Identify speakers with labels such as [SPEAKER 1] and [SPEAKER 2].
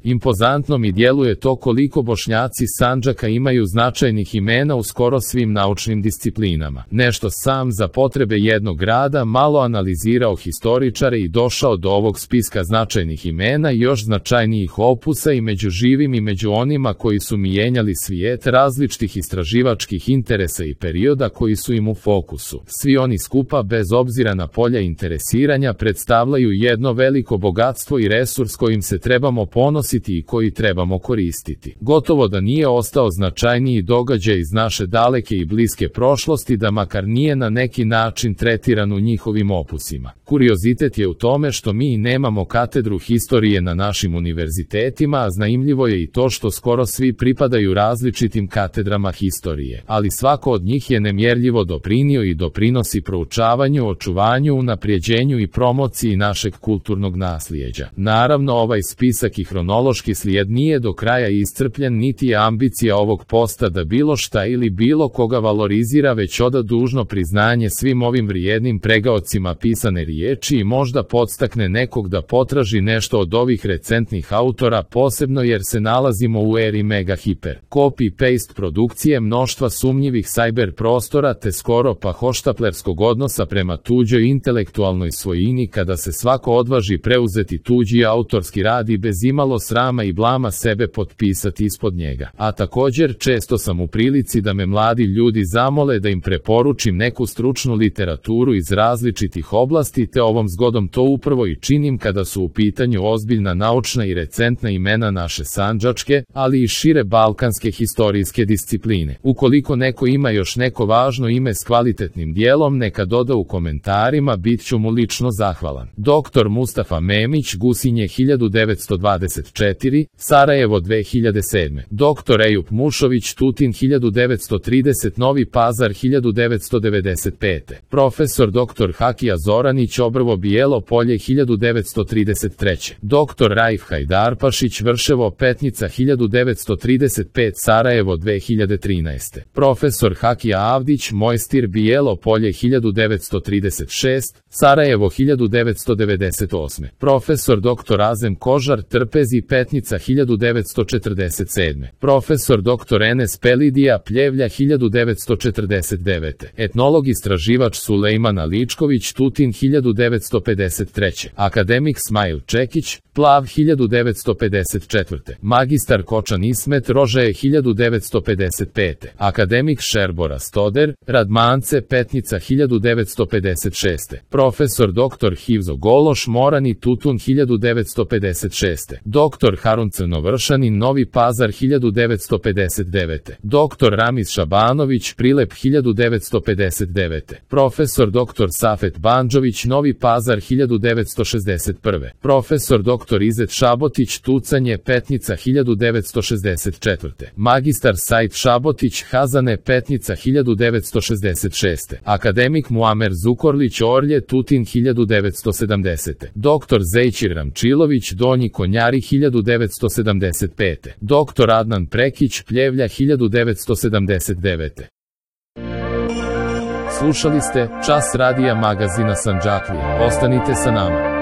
[SPEAKER 1] Impozantno mi djeluje to koliko Bošnjaci Sandžaka imaju značajnih imena u skoro svim naučnim disciplinama. Nešto sam za potrebe jednog grada malo analizirao historičare i došao do ovog spiska značajnih imena i još značajnijih opusa i među živim i među onima koji su mijenjali svijet različitih istraživačkih interesa i perioda koji su im u fokusu. Svi oni skupa, bez obzira na polja interesiranja, predstavljaju jedno veliko bogatstvo i resurs kojim se trebamo ponositi i koji trebamo koristiti. Gotovo da nije ostao značajniji događaj iz naše daleke i bliske prošlosti da makar nije na neki način tretiran u njihovim opusima. Kuriozitet je u tome što mi nemamo katedru historije na našim univerzitetima, a zanimljivo je i to što skoro svi pripadaju različitim katedrama historije, ali svako od njih je nemjerljivo doprinio i doprinosi proučavanju, očuvanju, unaprijeđenju i promociji našeg kulturnog naslijeđa. Naravno, ovaj spisak i hronološki slijed nije do kraja iscrpljen, niti je ambicija ovog posta da bilo šta ili bilo koga valorizira, već oda dužno priznanje svim ovim vrijednim pregaocima pisane riječi i možda podstakne nekog da potraži nešto od ovih recentnih autora, posebno jer se nalazimo u eri mega hiper copy-paste produkcije, mnoštva sumnjivih cyber prostora te skoro pa hoštaplerskog odnosa prema tuđoj intelektualnoj svojini kada se svako odvaži preuzeti tuđi autorski rad i bez imalo srama i blama sebe potpisati ispod njega. A također često sam u prilici da me mladi ljudi zamole da im preporučim neku stručnu literaturu iz različitih oblasti, te ovom zgodom to upravo i činim kada su u pitanju ozbiljna naučna i recentna imena naše sandžačke, ali i šire balkanske historijske discipline. Ukoliko neko ima još neko važno ime s kvalitetnim dijelom, neka doda u komentarima, bit ću mu lično zahvalan. Dr. Mustafa Memić, Gusinje 1924, Sarajevo 2007. Dr. Ejup Mušović, Tutin 1930, Novi Pazar 1995. Profesor dr. Hakija Zoranić, Obrvo Bijelo Polje 1933. Dr. Raif Hajdarpašić, Vrševo Petnica 1935, Sarajevo 2013. Profesor Hakija Avdić, Mojstir Bijelo Polje 1936, Sarajevo 1998. Profesor dr. Azem Kožar, Trpezi Petnica 1947. Profesor dr. Enes Pelidija, Pljevlja 1949. Etnolog istraživač Sulejman Aličković, Tutin 1953. Akademik Smajl Čekić, Plav 1954. Magistar Kočan Ismet Rožaje 1955. Akademik Šerbora Stoder, Radmance Petnica 1956. Profesor dr. Hivzo Gološ, Morani Tutun 1956. Dr. Harun Crnovršanin, Novi Pazar 1959. Dr. Ramiz Šabanović, Prilep 1959. Profesor dr. Safet Bandžović, Novi Pazar 1961. Profesor dr. Izet Šabotić, Tucanje Petnica 1964. Magistar Said Šabotić, Hazane Petnica 1966. Akademik Muamer Zukorlić, Orlje Tutin 1970. Dr. Zejčir Ramčilović, Donji Konjari 1975. Dr. Adnan Prekić, Pljevlja 1979. Slušali ste Čas radija magazina Sandžaklije. Ostanite sa nama.